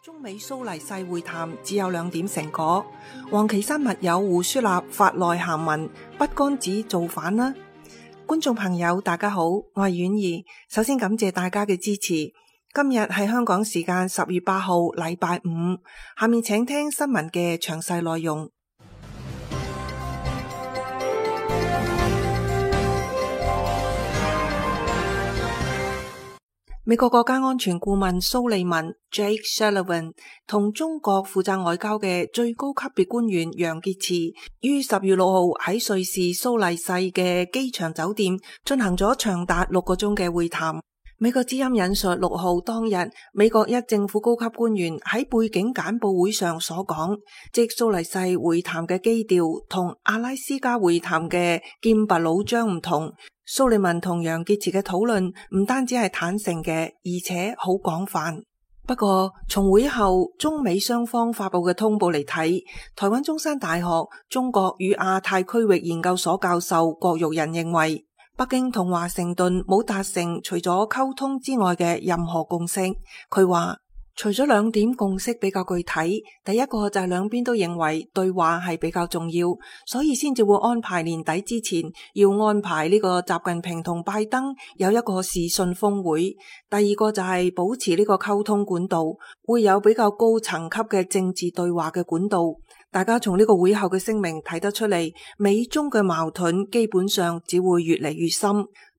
中美蘇黎世會談只有2點成果，王岐山密友胡舒立發內函文，不幹子造反啦！觀眾朋友大家好，我係婉兒，首先感謝大家嘅支持。今日係香港時間10月8號禮拜五，下面請聽新聞嘅詳細內容。美國國家安全顧問蘇利文 Jake Sullivan 同中國負責外交嘅最高級別官員楊潔篪於10月6號喺瑞士蘇黎世嘅機場酒店進行咗長達6個鐘嘅會談。美國之音引述6號當日美國一政府高級官員喺背景簡報會上所講，即蘇黎世會談嘅基調同阿拉斯加會談嘅劍拔弩張唔同。蘇利文同楊潔篪嘅討論唔單止係坦誠嘅，而且好廣泛。不過從會後中美雙方發佈嘅通報嚟睇，台灣中山大學中國與亞太區域研究所教授郭玉仁認為，北京同華盛頓冇達成除咗溝通之外嘅任何共識。佢話除咗2點共識比較具體，第一個就係兩邊都認為對話係比較重要，所以先至會安排年底之前要安排呢個習近平同拜登有一個視訊峰會。第二個就係保持呢個溝通管道，會有比較高層級嘅政治對話嘅管道。大家從呢個會後嘅聲明睇得出嚟，美中嘅矛盾基本上只會越嚟越深，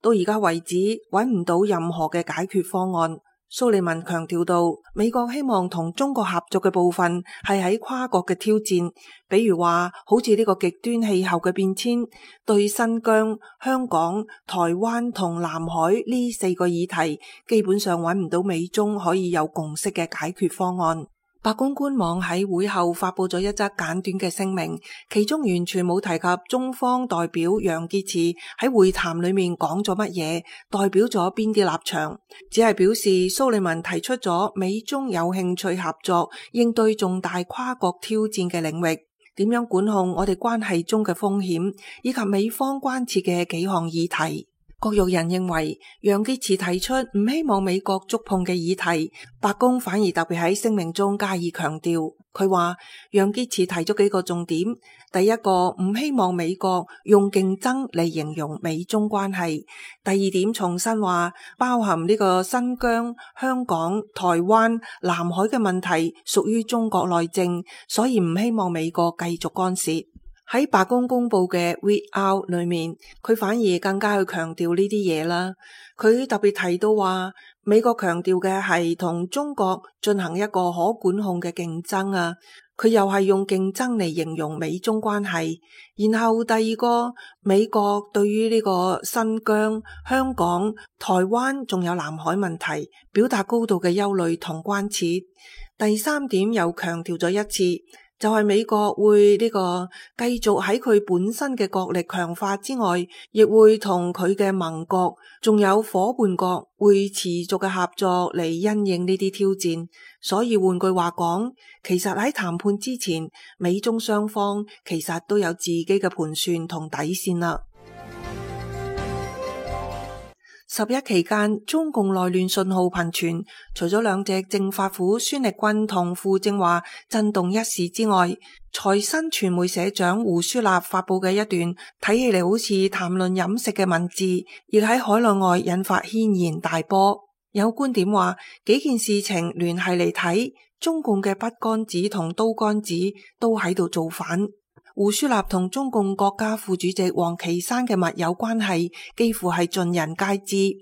到而家為止揾唔到任何嘅解決方案。蘇利文強調到，美國希望同中國合作嘅部分係喺跨國嘅挑戰，比如話好似呢個極端氣候嘅變遷，對新疆、香港、台灣同南海呢4個議題，基本上揾唔到美中可以有共識嘅解決方案。白宮官網喺會後發佈咗一則簡短嘅聲明，其中完全冇提及中方代表楊潔篪喺會談裏面講咗乜嘢，代表咗邊啲立場，只係表示蘇利文提出咗美中有興趣合作應對重大跨國挑戰嘅領域，點樣管控我哋關係中嘅風險，以及美方關切嘅幾項議題。郭玉仁認為，楊潔篪提出唔希望美國觸碰嘅議題，白宮反而特別喺聲明中加以強調。佢話楊潔篪提咗幾個重點，第一個唔希望美國用競爭嚟形容美中關係，第二點重申話包含呢個新疆、香港、台灣、南海嘅問題屬於中國內政，所以唔希望美國繼續干涉。喺白宮公布嘅 read out 裏面，佢反而更加去強調呢啲嘢啦。佢特別提到話，美國強調嘅係同中國進行一個可管控嘅競爭啊。佢又係用競爭嚟形容美中關係。然後第二個，美國對於呢個新疆、香港、台灣仲有南海問題，表達高度嘅憂慮同關切。第3點又強調咗一次，就係美國會呢個繼續喺佢本身嘅國力強化之外，亦會同佢嘅盟國仲有伙伴國會持續嘅合作嚟因應呢啲挑戰。所以換句話講，其實喺談判之前，美中雙方其實都有自己嘅盤算同底線啦。11期間，中共內亂信號頻傳，除咗2隻政法府孫力軍同傅政華震動一時之外，財新傳媒社長胡舒立發佈嘅一段睇起嚟好似談論飲食嘅文字，亦喺海內外引發軒然大波。有觀點話，幾件事情聯繫嚟睇，中共嘅筆桿子同刀桿子都喺度造反。胡舒立同中共國家副主席王岐山嘅密友關係幾乎係盡人皆知。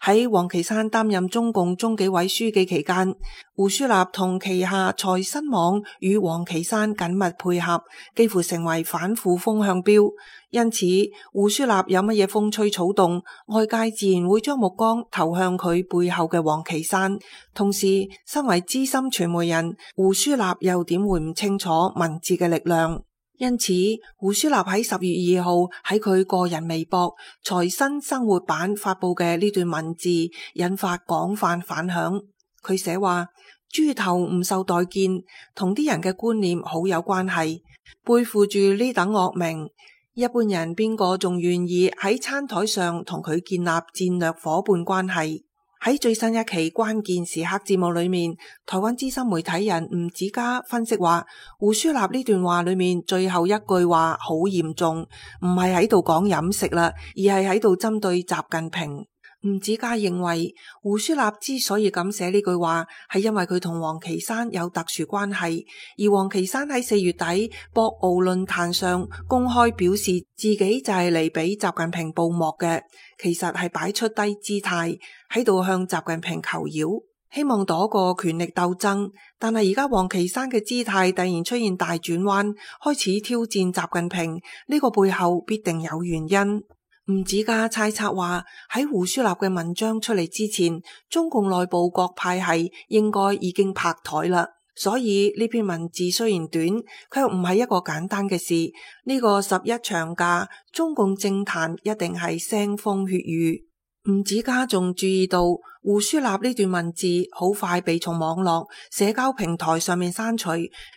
喺王岐山擔任中共中紀委書記期間，胡舒立同旗下財新網與王岐山緊密配合，幾乎成為反腐風向標。因此，胡舒立有乜嘢風吹草動，外界自然會將目光投向佢背後嘅王岐山。同時，身為資深傳媒人，胡舒立又點會唔清楚文字嘅力量？因此，胡舒立喺10月2號喺佢個人微博財新生活版發佈嘅呢段文字，引發廣泛反響。佢寫話：豬頭唔受待見，同啲人嘅觀念好有關係。背負住呢等惡名，一般人邊個仲願意喺餐台上同佢建立戰略夥伴關係？喺最新一期關鍵時刻節目裏面，台灣資深媒體人吳子嘉分析話，胡舒立呢段話裏面最後一句話好嚴重，唔係喺度講飲食啦，而係喺度針對習近平。吳子嘉認為，胡舒立之所以咁寫呢句話，係因為佢同王岐山有特殊關係，而王岐山喺4月底博鰲論壇上公開表示自己就係嚟俾習近平報幕嘅，其實係擺出低姿態喺度向習近平求饒，希望躲過權力鬥爭。但係而家王岐山嘅姿態突然出現大轉彎，開始挑戰習近平，呢個背後必定有原因。吳子嘉猜測話，喺胡舒立嘅文章出嚟之前，中共內部各派系應該已經拍台啦。所以呢篇文字雖然短，卻唔係一個簡單嘅事。呢個11長假，中共政壇一定係腥風血雨。吳子嘉仲注意到，胡舒立呢段文字好快被從網絡社交平台上面刪除，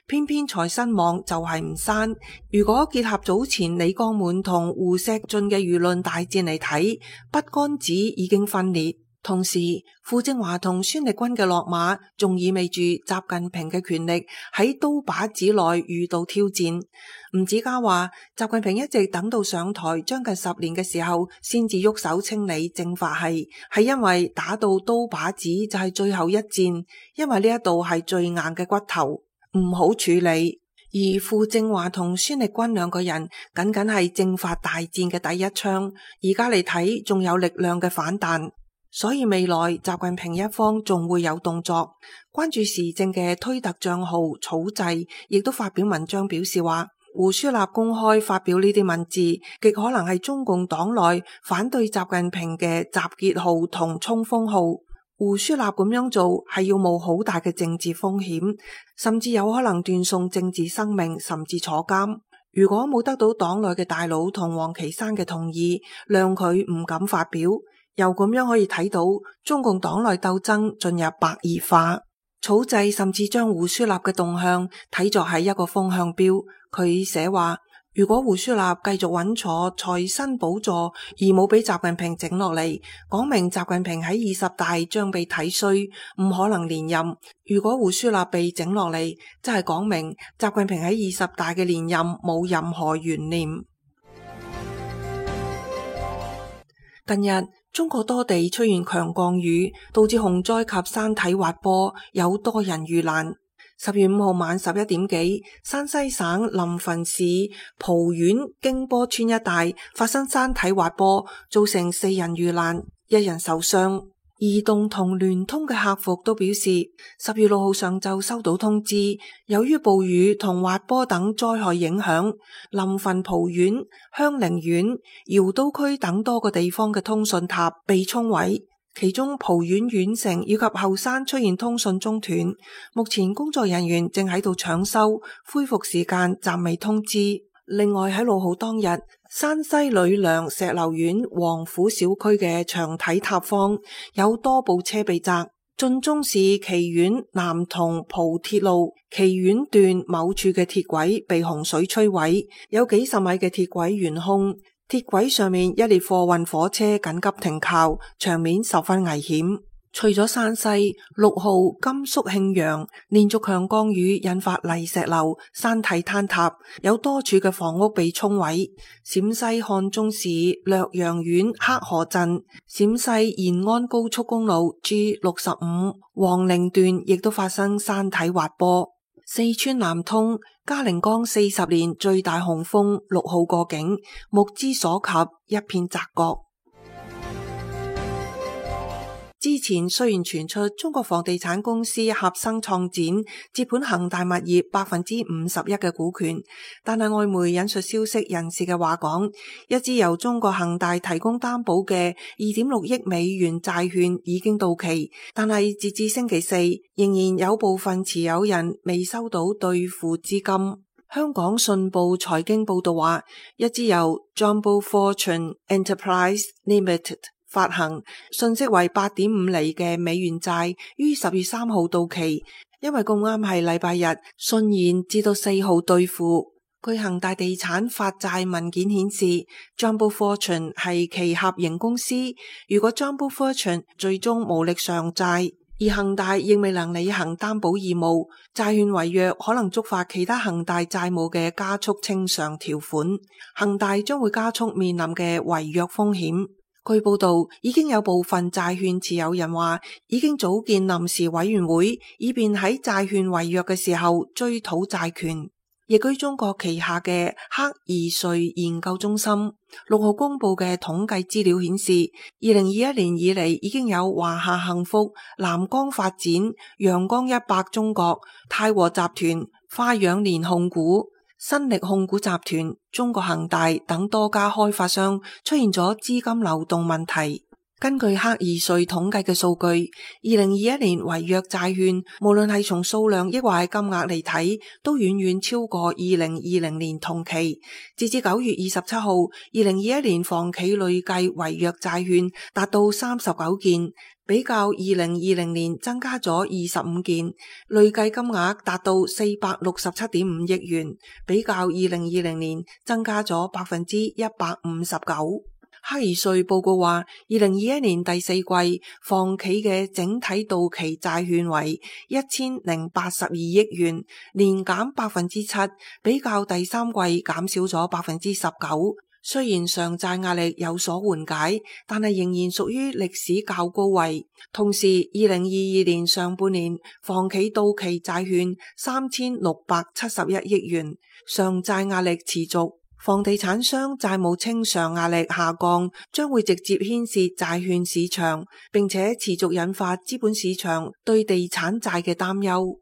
偏偏財新網就係唔刪。如果結合早前李江滿同胡錫進嘅輿論大戰嚟睇，筆桿子已經分裂。同時，傅政華同孫力軍嘅落馬，仲意味住習近平嘅權力喺刀把子內遇到挑戰。吳子嘉話，習近平一直等到上台將近10年嘅時候，先至喐手清理政法系，係因為打到刀把子就係最後一戰，因為呢一度係最硬嘅骨頭，唔好處理。而傅政華同孫力軍兩個人僅僅係政法大戰嘅第一槍，而家嚟睇仲有力量嘅反彈。所以未來習近平一方仲會有動作。關注時政嘅推特賬號草製亦都發表文章表示話，胡舒立公開發表呢啲文字，極可能係中共黨內反對習近平嘅集結號同衝鋒號。胡舒立咁樣做係要冒好大嘅政治風險，甚至有可能斷送政治生命，甚至坐監。如果冇得到黨內嘅大佬同王岐山嘅同意，諒佢唔敢發表。又咁樣可以睇到中共黨內鬥爭進入白熱化。草製甚至將胡舒立嘅動向睇作係一個風向標。佢寫話，如果胡舒立繼續穩坐財新寶座而冇俾習近平整落嚟，講明習近平喺20大將被睇衰，唔可能連任。如果胡舒立被整落嚟，即係講明習近平喺20大嘅連任冇任何懸念。近日中國多地出現強降雨，導致洪災及山體滑坡，有多人遇難。10月5號晚11點幾，山西省臨汾市蒲縣京波村一帶發生山體滑坡，造成4人遇難，1人受傷。移動同聯通嘅客服都表示，10月6號上晝收到通知，由於暴雨同滑坡等災害影響，臨汾蒲縣、香菱縣、瑤都區等多個地方嘅通訊塔被沖毀，其中蒲縣縣城以及後山出現通訊中斷，目前工作人員正喺度搶修，恢復時間暫未通知。另外喺6號當日，山西呂梁石榴縣王府小區嘅長體塔方有多部車被砸，晉中市祁縣南同蒲鐵路祁縣段某處嘅鐵軌被洪水摧毀，有幾十米嘅鐵軌懸空，鐵軌上面一列貨運火車緊急停靠，場面十分危險。除咗山西，6號甘肅慶陽連續強降雨引發泥石流、山體坍塌，有多處嘅房屋被沖毀。陝西漢中市略陽縣黑河鎮、陝西延安高速公路 G65 黃陵段亦都發生山體滑坡。四川南通嘉陵江40年最大洪峰6號過境，目之所及一片澤國。之前雖然傳出中國房地產公司合生創展接盤恒大物業51%嘅股權，但係外媒引述消息人士嘅話講，一支由中國恒大提供擔保嘅2.6億美元債券已經到期，但係截至星期四，仍然有部分持有人未收到兌付資金。香港信報財經報道話，一支由 Jumbo Fortune Enterprise Limited發行信息為8.5厘嘅美元債於10月3號到期，因為咁啱係禮拜日，順延至到4號兌付。據恒大地產發債文件顯示 Jumbo Fortune 係其合營公司。如果 Jumbo Fortune 最終無力償債，而恒大亦未能履行擔保義務，債券違約可能觸發其他恒大債務嘅加速清償條款，恒大將會加速面臨嘅違約風險。據報道，已經有部分債券持有人話已經組建臨時委員會，以便喺債券違約嘅時候追討債權。亦據中國旗下嘅克爾瑞研究中心6號公布嘅統計資料顯示，2021年以嚟已經有華夏幸福、南光發展、陽光100中國、泰和集團、花樣年控股、新力控股集團、中國恒大等多家開發商出現咗資金流動問題。根據克爾瑞統計嘅數據，2021年違約債券無論係從數量抑或係金額嚟睇，都遠遠超過2020年同期。截至9月27號，2021年房企累計違約債券達到39件，比較2020年增加咗25件，累計金額達到467.5億元，比較2020年增加咗159%。克爾瑞報告話，2021年第四季房企嘅整體到期債券為1082億元，年減7%，比較第三季減少咗19%。雖然償債壓力有所緩解，但係仍然屬於歷史較高位。同時，2022年上半年房企到期債券3671億元，償債壓力持續。房地產商債務清償壓力下降，將會直接牽涉債券市場，並且持續引發資本市場對地產債嘅擔憂。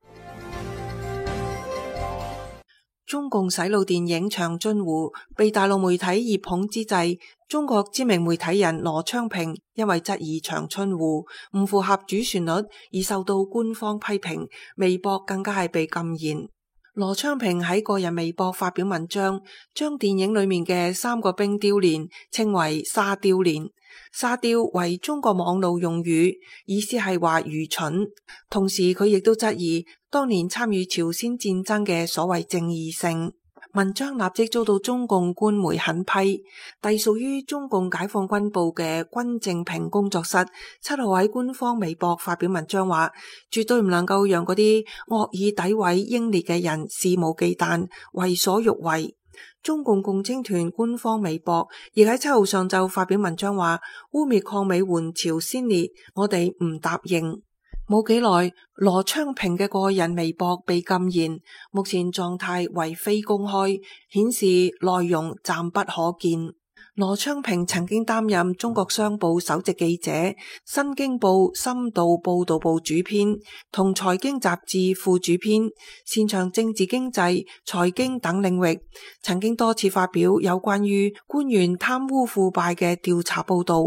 中共洗腦電影《長津湖》被大陸媒體熱捧之際，中國知名媒體人羅昌平因為質疑長津湖唔符合主旋律而受到官方批評，微博更加係被禁言。羅昌平喺個人微博發表文章，將電影裏面嘅3個冰雕連稱為沙雕連。沙雕為中國網絡用語，意思係話愚蠢。同時佢亦都質疑當年參與朝鮮戰爭嘅所謂正義性。文章立即遭到中共官媒狠批。隸屬於中共解放軍部嘅軍政平工作室7號喺官方微博發表文章話，絕對唔能夠讓嗰啲惡意詆毀英烈嘅人肆無忌憚、為所欲為。中共共青團官方微博亦喺7號上晝發表文章話，污衊抗美援朝鮮烈，我哋唔答應。冇幾耐，羅昌平嘅個人微博被禁言，目前狀態為非公開，顯示內容暫不可見。羅昌平曾經擔任中國商報首席記者、新京報深度報道部主編同財經雜誌副主編，擅長政治經濟、財經等領域，曾經多次發表有關於官員貪污腐敗嘅調查報道。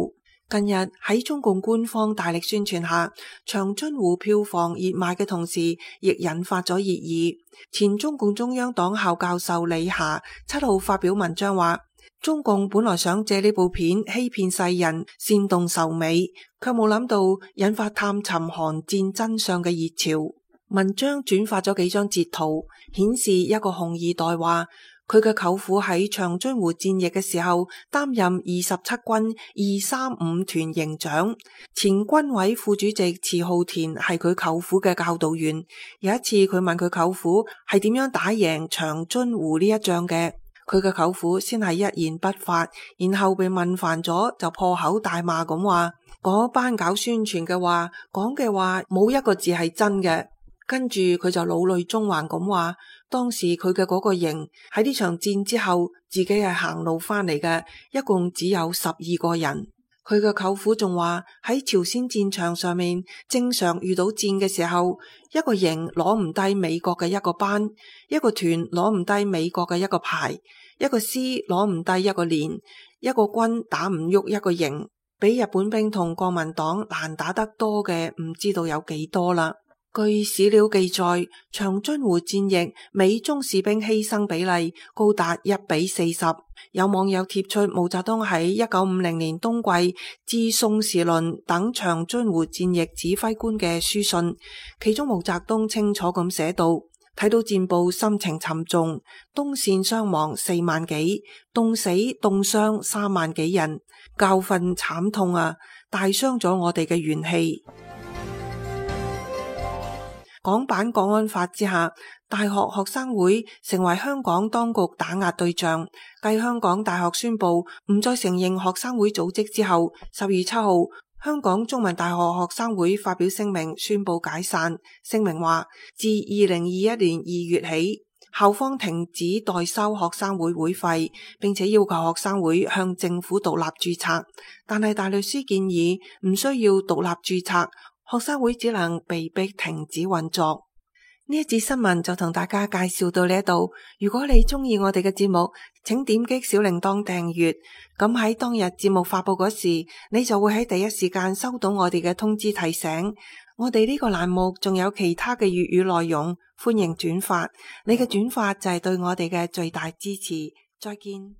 近日喺中共官方大力宣傳下，長津湖票房熱賣嘅同時，亦引發咗熱議。前中共中央黨校教授李霞7號發表文章話，中共本來想借呢部片欺騙世人、煽動仇美，卻冇諗到引發探尋韓戰真相嘅熱潮。文章轉發咗幾張截圖，顯示一個紅二代話，佢嘅舅父喺長津湖戰役嘅時候擔任27軍235團營長，前軍委副主席池浩田係佢舅父嘅教導員。有一次佢問佢舅父係點樣打贏長津湖呢一仗嘅，佢嘅舅父先係一言不發，然後被問煩咗就破口大罵咁話，嗰班搞宣傳嘅話講嘅話冇一個字係真嘅。跟住佢就老淚縱橫咁話，當時佢嘅嗰個營喺呢場戰之後自己係行路翻嚟嘅，一共只有12個人。佢嘅舅父仲話喺朝鮮戰場上面正常遇到戰嘅時候，一個營攞唔低美國嘅一個班，一個團攞唔低美國嘅一個排，一個師攞唔低一個連，一個軍打唔喐一個營，比日本兵同國民黨難打得多嘅唔知道有幾多啦。據史料記載，長津湖戰役美中士兵犧牲比例高達1:40。有網友貼出毛澤東喺1950年冬季致宋時輪等長津湖戰役指揮官嘅書信，其中毛澤東清楚咁寫道：睇到戰報心情沉重，東線傷亡4萬幾，凍死凍傷3萬幾人，教訓慘痛啊，大傷咗我哋嘅元氣。港版國安法之下，大學學生會成為香港當局打壓對象。繼香港大學宣布唔再承認學生會組織之後，10月7號，香港中文大學學生會發表聲明宣布解散。聲明話，自2021年2月起，校方停止代收學生會會費，並且要求學生會向政府獨立註冊。但係大律師建議唔需要獨立註冊，學生會只能被迫停止運作。呢一節新聞就同大家介紹到呢度。如果你中意我哋嘅節目，請點擊小鈴鐺訂閱。咁喺當日節目發佈嗰時，你就會喺第一時間收到我哋嘅通知提醒。我哋呢個欄目仲有其他嘅粵語內容，歡迎轉發。你嘅轉發就係對我哋嘅最大支持。再見。